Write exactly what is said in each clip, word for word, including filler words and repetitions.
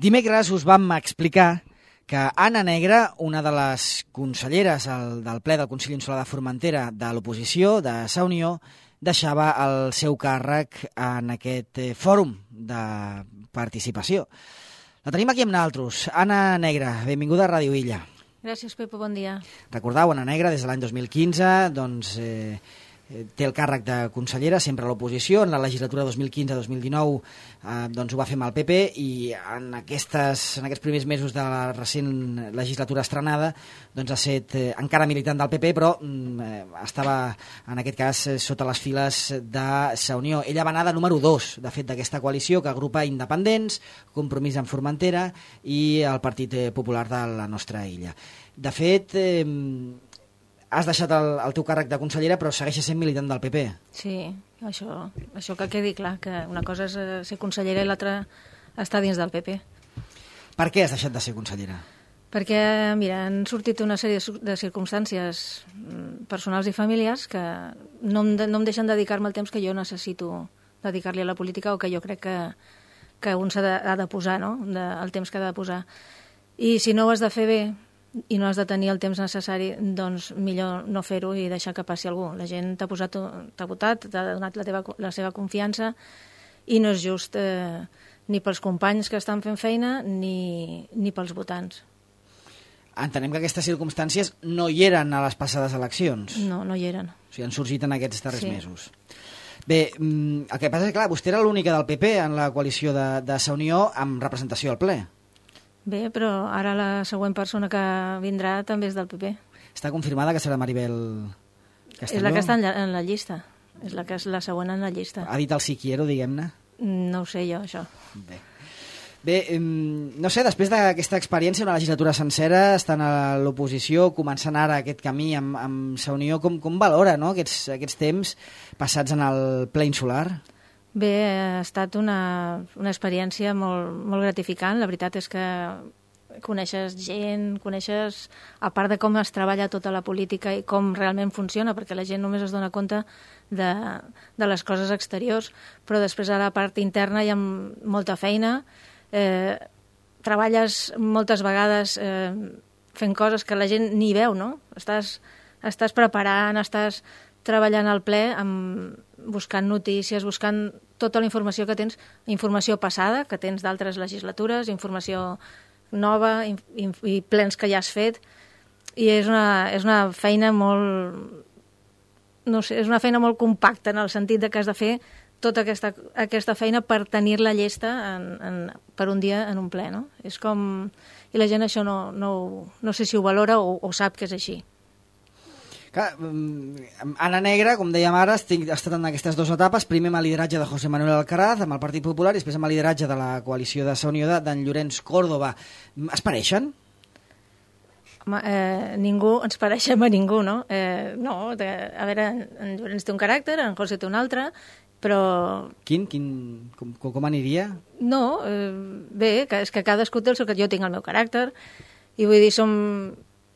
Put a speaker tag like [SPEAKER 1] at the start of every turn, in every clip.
[SPEAKER 1] Dimecres us vam explicar que Anna Negra, una de les conselleres del ple del Consell Insular de Formentera de l'oposició, de Sa Unió, deixava el seu càrrec en aquest fòrum de participació. La tenim aquí amb nosaltres. Anna Negra, benvinguda a Ràdio Illa.
[SPEAKER 2] Gràcies, Pepo, bon dia.
[SPEAKER 1] Recordeu, Anna Negra, des de l'any dos mil quinze, doncs, eh, té el càrrec de consellera, sempre a l'oposició. En la legislatura dos mil quinze dos mil dinou eh, doncs ho va fer amb el P P i en, aquestes, en aquests primers mesos de la recent legislatura estrenada doncs ha estat eh, encara militant del P P, però eh, estava en aquest cas eh, sota les files de Sa Unió. Ella va anar de número dos, de fet, d'aquesta coalició que agrupa independents, Compromís en Formentera i el Partit Popular de la nostra illa. De fet, eh, has deixat el, el teu càrrec de consellera, però segueixes sent militant del P P.
[SPEAKER 2] Sí, això, això que quedi clar, que una cosa és ser consellera i l'altra estar dins del P P.
[SPEAKER 1] Per què has deixat de ser consellera?
[SPEAKER 2] Perquè, mira, han sortit una sèrie de circumstàncies personals i familiars que no em, de, no em deixen dedicar-me el temps que jo necessito dedicar-li a la política o que jo crec que, que un s'ha de, ha de posar, no? De, el temps que ha de posar. I si no ho has de fer bé i no has de tenir el temps necessari, doncs millor no fer-ho i deixar que passi algú. La gent t'ha posat, t'ha votat, t'ha donat la, teva, la seva confiança i no és just eh, ni pels companys que estan fent feina ni, ni pels votants.
[SPEAKER 1] Entenem que aquestes circumstàncies no hi eren a les passades eleccions.
[SPEAKER 2] No, no hi eren.
[SPEAKER 1] O sigui, han sorgit en aquests darrers
[SPEAKER 2] sí.
[SPEAKER 1] mesos. Bé, el que passa és que, clar, vostè era l'única del P P en la coalició de, de Sa Unió amb representació al ple.
[SPEAKER 2] Bé, però ara la següent persona que vindrà també és del P P.
[SPEAKER 1] Està confirmada que serà Maribel Castelló?
[SPEAKER 2] És la que està en la, en la llista. És la que és la següent en la llista.
[SPEAKER 1] Ha dit el si quiero, diguem-ne?
[SPEAKER 2] No ho sé jo, això.
[SPEAKER 1] Bé. Bé, no sé, després d'aquesta experiència, una legislatura sencera, estant a l'oposició, començant ara aquest camí amb, amb Sa Unió, com, com valora, no?, aquests, aquests temps passats en el ple insular?
[SPEAKER 2] Bé, ha estat una, una experiència molt, molt gratificant. La veritat és que coneixes gent, coneixes, a part de com es treballa tota la política i com realment funciona, perquè la gent només es dona compte de, de les coses exteriors, però després a la part interna hi ha molta feina. Eh, treballes moltes vegades eh, fent coses que la gent ni veu, no? Estàs, estàs preparant, estàs treballant al ple, amb, buscant notícies, buscant tota la informació que tens, informació passada, que tens d'altres legislatures, informació nova i, i, i plens que ja has fet, i és una, és una feina molt, no sé, és una feina molt compacta en el sentit de que has de fer tota aquesta, aquesta feina per tenir-la llesta en, en, per un dia en un ple, no? És com... I la gent això no, no, no sé si ho valora o, o sap que és així.
[SPEAKER 1] Clar, Anna Negra, com dèiem ara, ha estat en aquestes dues etapes, primer amb el lideratge de José Manuel Alcaraz, amb el Partit Popular, i després amb el lideratge de la coalició de Sa Unió d'en Llorenç Córdoba. Es pareixen?
[SPEAKER 2] Home, eh, ningú, ens pareixem a ningú, no? Eh, no, de, a veure, en Llorenç té un caràcter, en José té un altre, però...
[SPEAKER 1] Quin? Quin com, com aniria?
[SPEAKER 2] No, eh, bé, que és que cadascú té el seu... Jo tinc el meu caràcter, i vull dir, som...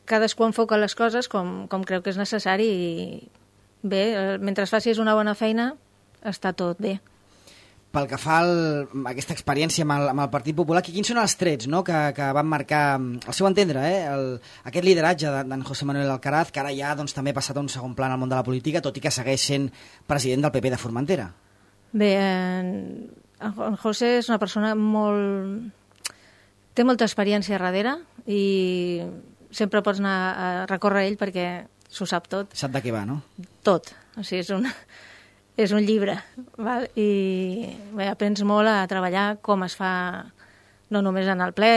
[SPEAKER 2] cadascú enfoca les coses com, com creu que és necessari i bé, mentre facis una bona feina està tot bé.
[SPEAKER 1] Pel que fa a aquesta experiència amb el, amb el Partit Popular, quins són els trets, no?, que, que van marcar, al seu entendre, eh, el, aquest lideratge d'en José Manuel Alcaraz, que ara ja doncs, també ha passat a un segon pla en el món de la política, tot i que segueix sent president del P P de Formentera?
[SPEAKER 2] Bé, en, en José és una persona molt... té molta experiència darrere i sempre pots anar a recórrer a ell perquè s'ho sap tot.
[SPEAKER 1] Sap de què va, no?
[SPEAKER 2] Tot. O sigui, és un, és un llibre. Val? I bé, aprens molt a treballar com es fa, no només en el ple,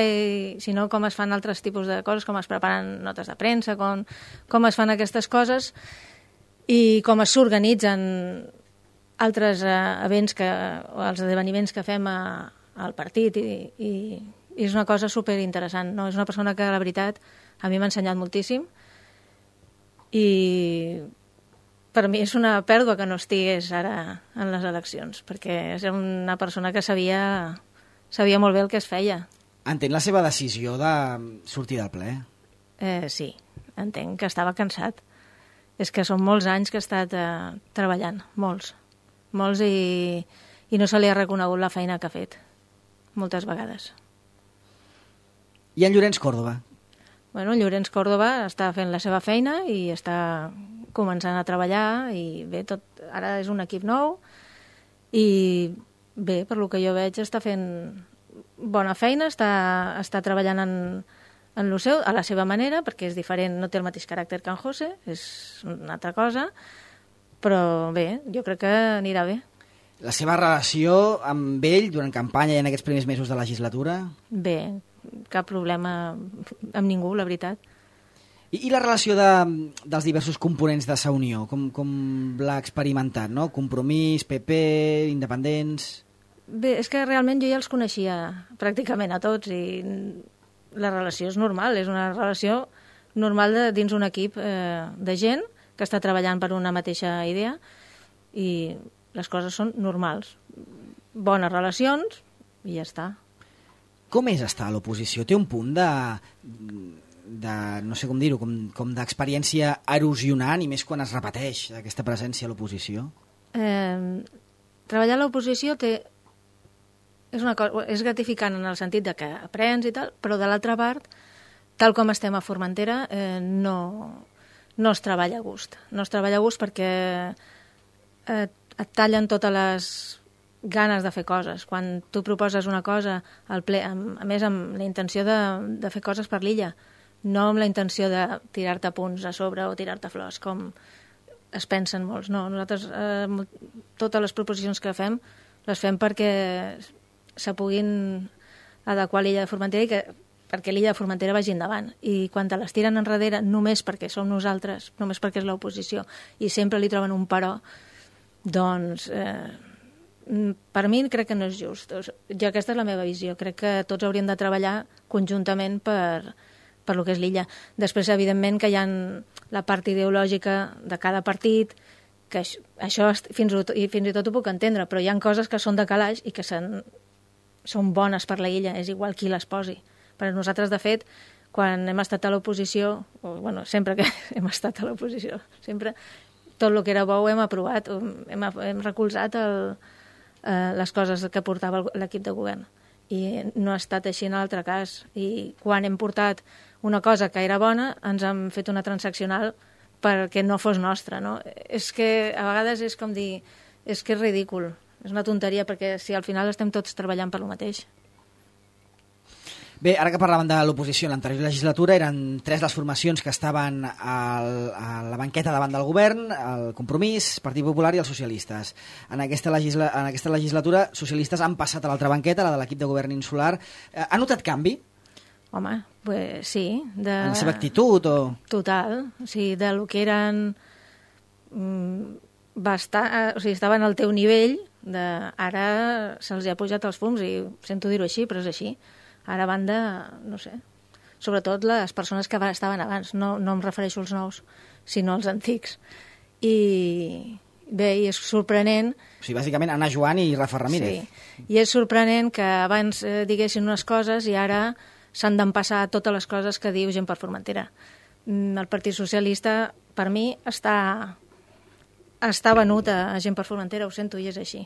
[SPEAKER 2] sinó com es fan altres tipus de coses, com es preparen notes de premsa, com, com es fan aquestes coses i com s'organitzen altres eh, events que, o els esdeveniments que fem a, al partit i, i, i és una cosa superinteressant. No? És una persona que, la veritat, a mi m'ha ensenyat moltíssim i per mi és una pèrdua que no estigués ara en les eleccions, perquè és una persona que sabia, sabia molt bé el que es feia.
[SPEAKER 1] Entén la seva decisió de sortir del ple?
[SPEAKER 2] Eh, sí, entenc que estava cansat. És que són molts anys que ha estat eh, treballant, molts, molts i, i no se li ha reconegut la feina que ha fet, moltes vegades.
[SPEAKER 1] I en Llorenç Còrdova?
[SPEAKER 2] Bueno, Llorenç Còrdova està fent la seva feina i està començant a treballar i bé, tot, ara és un equip nou i bé, per lo que jo veig, està fent bona feina, està, està treballant en, en lo seu, a la seva manera, perquè és diferent, no té el mateix caràcter que en José, és una altra cosa, però bé, jo crec que anirà bé.
[SPEAKER 1] La seva relació amb ell durant campanya i en aquests primers mesos de legislatura?
[SPEAKER 2] Bé, cap problema amb ningú, la veritat.
[SPEAKER 1] I, i la relació de, dels diversos components de Sa Unió, com, com l'ha experimentat, no? Compromís, P P, independents...
[SPEAKER 2] Bé, és que realment jo ja els coneixia pràcticament a tots i la relació és normal, és una relació normal de, dins un equip eh, de gent que està treballant per una mateixa idea i les coses són normals. Bones relacions i ja està.
[SPEAKER 1] Com és estar a l'oposició? Té un punt de, de no sé com dir-ho, com, com d'experiència erosionant i més quan es repeteix aquesta presència a l'oposició?
[SPEAKER 2] Eh, treballar a l'oposició té... És, una cosa, és gratificant en el sentit de que aprens i tal, però de l'altra part, tal com estem a Formentera, eh, no, no es treballa a gust. No es treballa a gust perquè eh, et tallen totes les ganes de fer coses. Quan tu proposes una cosa al ple, amb, a més amb la intenció de, de fer coses per l'illa, no amb la intenció de tirar-te punts a sobre o tirar-te flors, com es pensen molts. No, nosaltres eh, totes les proposicions que fem les fem perquè se puguin adequar a l'illa de Formentera i que, perquè l'illa de Formentera vagi endavant. I quan te les tiren enrere només perquè som nosaltres, només perquè és l'oposició, i sempre li troben un però, doncs eh, per mi crec que no és just. Jo, aquesta és la meva visió. Crec que tots hauríem de treballar conjuntament per, per lo que és l'illa. Després, evidentment, que hi ha la part ideològica de cada partit, que això fins i, fins i tot ho puc entendre, però hi ha coses que són de calaix i que són, són bones per la illa, és igual qui les posi. Per nosaltres, de fet, quan hem estat a l'oposició, o bueno, sempre que hem estat a l'oposició, sempre tot el que era bo ho hem aprovat, hem, hem recolzat el, eh, les coses que portava l'equip de govern. I no ha estat així en l'altre cas. I quan hem portat una cosa que era bona, ens han fet una transaccional perquè no fos nostra, no? És que a vegades és com dir, és que és ridícul, és una tonteria, perquè si al final estem tots treballant per lo mateix.
[SPEAKER 1] Bé, ara que parlàvem de l'oposició en l'anterior legislatura, eren tres les formacions que estaven al, a la banqueta davant del govern, el Compromís, Partit Popular i els socialistes. En aquesta, legisla, en aquesta legislatura, socialistes han passat a l'altra banqueta, la de l'equip de govern insular. Eh, ha notat canvi?
[SPEAKER 2] Home, pues sí. De...
[SPEAKER 1] En la seva actitud o...?
[SPEAKER 2] Total. O sigui, de lo que eren... Bastant, o sigui, estaven al teu nivell, de... ara se'ls ha pujat els fums, i sento dir-ho així, però és així. Ara van de, no sé, sobretot les persones que estaven abans, no, no em refereixo als nous, sinó als antics. I bé, i és sorprenent...
[SPEAKER 1] O sigui, bàsicament Anna Joan i Rafa Ramírez.
[SPEAKER 2] Sí, i és sorprenent que abans eh, diguessin unes coses i ara s'han d'empassar totes les coses que diu gent per Formentera. El Partit Socialista, per mi, està, està venut a gent per Formentera, ho sento, i és així.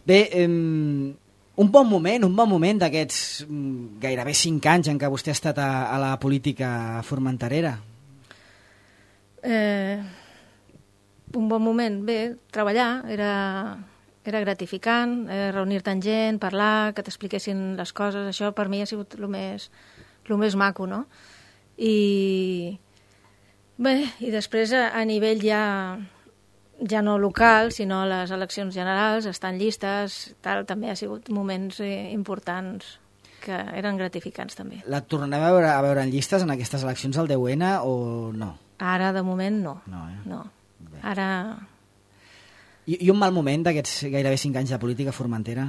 [SPEAKER 1] Bé, eh, un bon moment, un bon moment d'aquests gairebé cinc anys en què vostè ha estat a, a la política formenterera.
[SPEAKER 2] Eh, un bon moment, bé, treballar, era... Era gratificant, eh, reunir-te amb gent, parlar, que t'expliquessin les coses. Això per mi ha sigut el més, el més maco, no? I bé, i després a, a nivell ja, ja no local, sinó les eleccions generals, estan llistes, tal, també ha sigut moments eh, importants que eren gratificants també.
[SPEAKER 1] La tornem a veure, a veure en llistes en aquestes eleccions del deu ena o no?
[SPEAKER 2] Ara, de moment, no.
[SPEAKER 1] No, eh?
[SPEAKER 2] No. Ara...
[SPEAKER 1] I, I un mal moment d'aquests gairebé cinc anys de política formentera?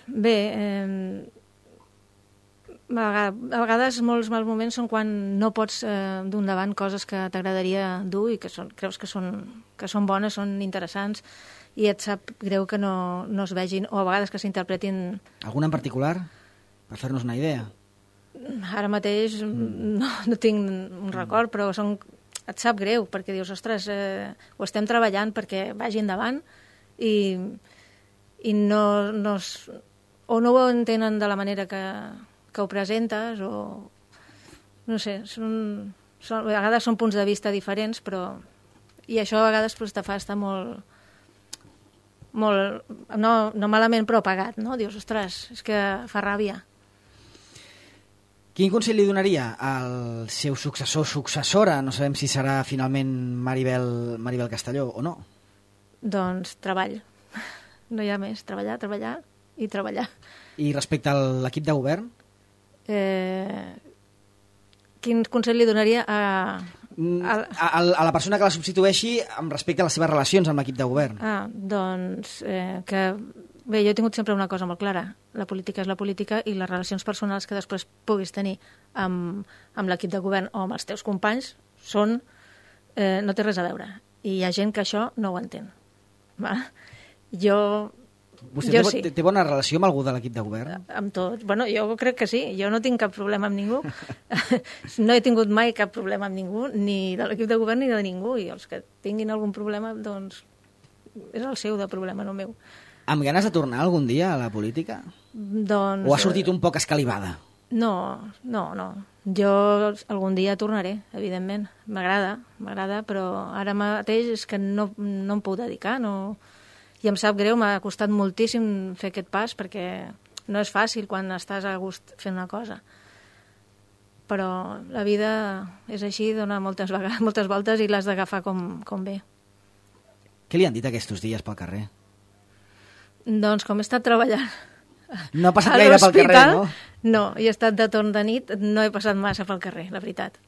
[SPEAKER 2] Bé, eh, a vegades molts mals moments són quan no pots eh, dur endavant coses que t'agradaria dur i que són, creus que són, que són bones, són interessants, i et sap greu que no, no es vegin, o a vegades que s'interpretin...
[SPEAKER 1] Alguna en particular? Per fer-nos una idea.
[SPEAKER 2] Ara mateix mm. no, no tinc un record, però són... et sap greu, perquè dius, ostres, eh, ho estem treballant perquè vagi endavant i, i no, no, es, o no ho entenen de la manera que, que ho presentes, o no sé, són, són, a vegades són punts de vista diferents, però i això a vegades pues, te fa estar molt, molt no, no malament però apagat, no? Dius, ostres, és que fa ràbia.
[SPEAKER 1] Quin consell li donaria al seu successor, successora? No sabem si serà finalment Maribel, Maribel Castelló o no.
[SPEAKER 2] Doncs treball. No hi ha més. Treballar, treballar i treballar.
[SPEAKER 1] I respecte a l'equip de govern?
[SPEAKER 2] Eh, quin consell li donaria a...
[SPEAKER 1] A, a, a la persona que la substitueixi amb respecte a les seves relacions amb l'equip de govern.
[SPEAKER 2] Ah, doncs eh, que... Bé, jo he tingut sempre una cosa molt clara. La política és la política i les relacions personals que després puguis tenir amb, amb l'equip de govern o amb els teus companys són... Eh, no té res a veure. I hi ha gent que això no ho entén. Va? Jo...
[SPEAKER 1] Vostè
[SPEAKER 2] jo
[SPEAKER 1] té,
[SPEAKER 2] sí.
[SPEAKER 1] té, té bona relació amb algú de l'equip de govern?
[SPEAKER 2] Amb tot. Bueno, jo crec que sí. Jo no tinc cap problema amb ningú. No he tingut mai cap problema amb ningú, ni de l'equip de govern ni de ningú. I els que tinguin algun problema, doncs, és el seu de problema, no el meu.
[SPEAKER 1] Amb ganes de tornar algun dia a la política?
[SPEAKER 2] Doncs...
[SPEAKER 1] O ha sortit un poc escalivada?
[SPEAKER 2] No, no, no. Jo algun dia tornaré, evidentment. M'agrada, m'agrada, però ara mateix és que no, no em puc dedicar, no... I em sap greu, m'ha costat moltíssim fer aquest pas, perquè no és fàcil quan estàs a gust fent una cosa. Però la vida és així, dona moltes, vegades, moltes voltes i l'has d'agafar com, com bé.
[SPEAKER 1] Què li han dit aquests dies pel carrer?
[SPEAKER 2] Doncs com he estat treballant
[SPEAKER 1] no ha passat gaire pel carrer, no?
[SPEAKER 2] No, he estat de torn de nit, no he passat massa pel carrer, la veritat.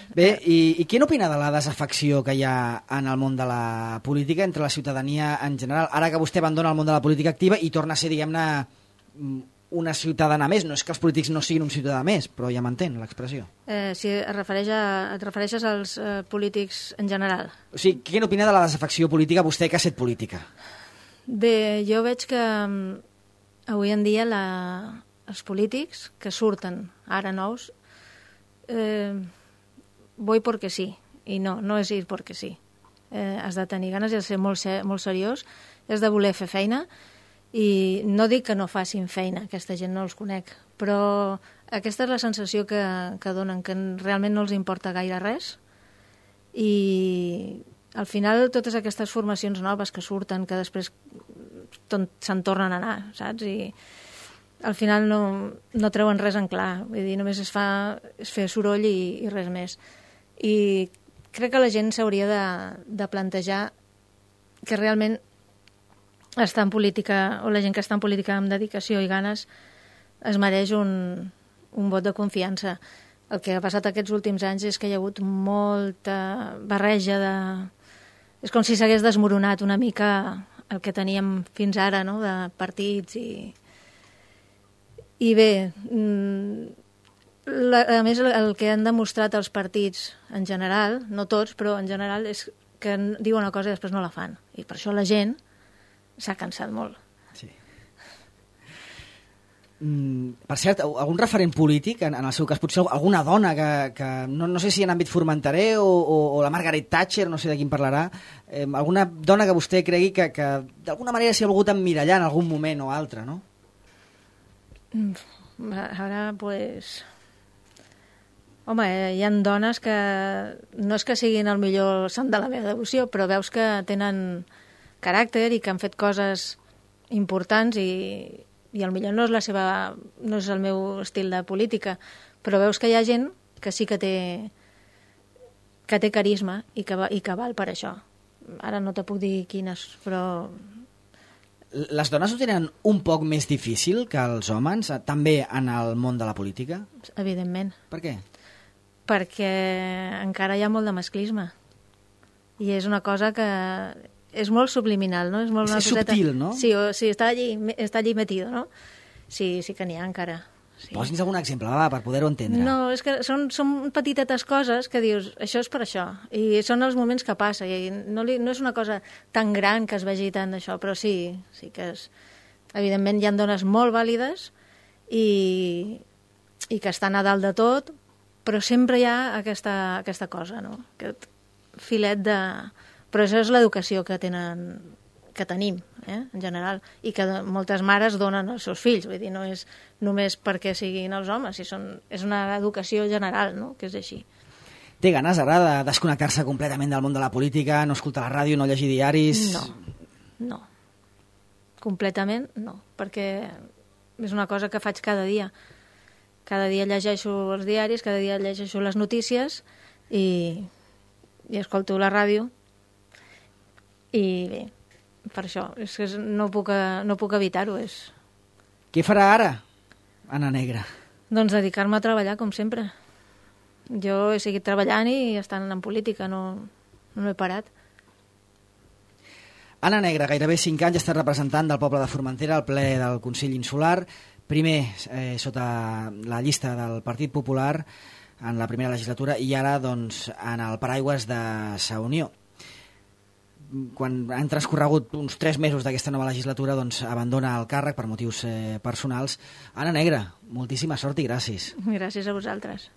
[SPEAKER 1] Bé, i, i què n'opina de la desafecció que hi ha en el món de la política entre la ciutadania en general? Ara que vostè abandona el món de la política activa i torna a ser, diguem-ne, una ciutadana més. No és que els polítics no siguin un ciutadà més, però ja m'entén l'expressió.
[SPEAKER 2] Eh, si es refereix a, et refereixes als eh, polítics en general?
[SPEAKER 1] O sigui, què n'opina de la desafecció política vostè que ha set política?
[SPEAKER 2] Bé, jo veig que avui en dia la, els polítics que surten ara nous eh, voy porque sí, i no, no és ir porque sí. Eh, has de tenir ganes, has de ser molt, ser, molt seriós, has de voler fer feina, i no dic que no facin feina, aquesta gent no els conec, però aquesta és la sensació que, que donen, que realment no els importa gaire res, i al final totes aquestes formacions noves que surten, que després se'n tornen a anar, saps? I al final no, no treuen res en clar, vull dir, només es fa és fer soroll i, i res més. I crec que la gent s'hauria de, de plantejar que realment està en política, o la gent que està en política amb dedicació i ganes es mereix un, un vot de confiança. El que ha passat aquests últims anys és que hi ha hagut molta barreja de... És com si s'hagués desmoronat una mica el que teníem fins ara, no?, de partits i... I bé... Mmm, La, a més, el que han demostrat els partits en general, no tots, però en general, és que diuen una cosa i després no la fan. I per això la gent s'ha cansat molt.
[SPEAKER 1] Sí. Mm, per cert, algun referent polític, en, en el seu cas, potser alguna dona que, que no, no sé si en àmbit formenteré o, o, o la Margaret Thatcher, no sé de quin parlarà, eh, alguna dona que vostè cregui que, que d'alguna manera s'hi ha volgut emmirallar en algun moment o altre, no?
[SPEAKER 2] Ara, pues... Home, hi ha dones que no és que siguin el millor sant de la meva devoció, però veus que tenen caràcter i que han fet coses importants i, i potser no és la seva, no és el meu estil de política, però veus que hi ha gent que sí que té que té carisma i que, va, i que val per això. Ara no te puc dir quines, però...
[SPEAKER 1] Les dones ho tenen un poc més difícil que els homes, també en el món de la política?
[SPEAKER 2] Evidentment.
[SPEAKER 1] Per què?
[SPEAKER 2] Perquè encara hi ha molt de masclisme i és una cosa que és molt subliminal, no? És, molt
[SPEAKER 1] és subtil, no?
[SPEAKER 2] Sí, o, sí està, allí, està allí metido, no? Sí, sí que n'hi ha encara. Sí.
[SPEAKER 1] Posi'ns algun exemple, va, per poder-ho entendre.
[SPEAKER 2] No, és que són, són petitetes coses que dius, això és per això, i són els moments que passa, i no, li, no és una cosa tan gran que es vegi tant d'això, però sí, sí que és... Evidentment hi ha dones molt vàlides i, i que estan a dalt de tot, però sempre hi ha aquesta, aquesta cosa, no? Aquest filet de... Però això és l'educació que tenen, que tenim, eh, en general, i que moltes mares donen als seus fills, vull dir, no és només perquè siguin els homes, si són, és una educació general, no?, que és així.
[SPEAKER 1] Té ganes ara de desconnectar-se completament del món de la política, no escoltar la ràdio, no llegir diaris?
[SPEAKER 2] No, no. Completament no, perquè és una cosa que faig cada dia. Cada dia llegeixo els diaris, cada dia llegeixo les notícies i, i escolto la ràdio. I bé, per això, és que no puc, no puc evitar-ho. És...
[SPEAKER 1] Què farà ara, Anna Negra?
[SPEAKER 2] Doncs dedicar-me a treballar, com sempre. Jo he seguit treballant i estant en política, no, no he parat.
[SPEAKER 1] Anna Negra, gairebé cinc anys, està representant del poble de Formentera al ple del Consell Insular, primer eh, sota la llista del Partit Popular en la primera legislatura i ara doncs, en el paraigües de Sa Unió. Quan han transcorregut uns tres mesos d'aquesta nova legislatura, doncs abandona el càrrec per motius eh, personals. Anna Negra, moltíssima sort i gràcies.
[SPEAKER 2] Gràcies a vosaltres.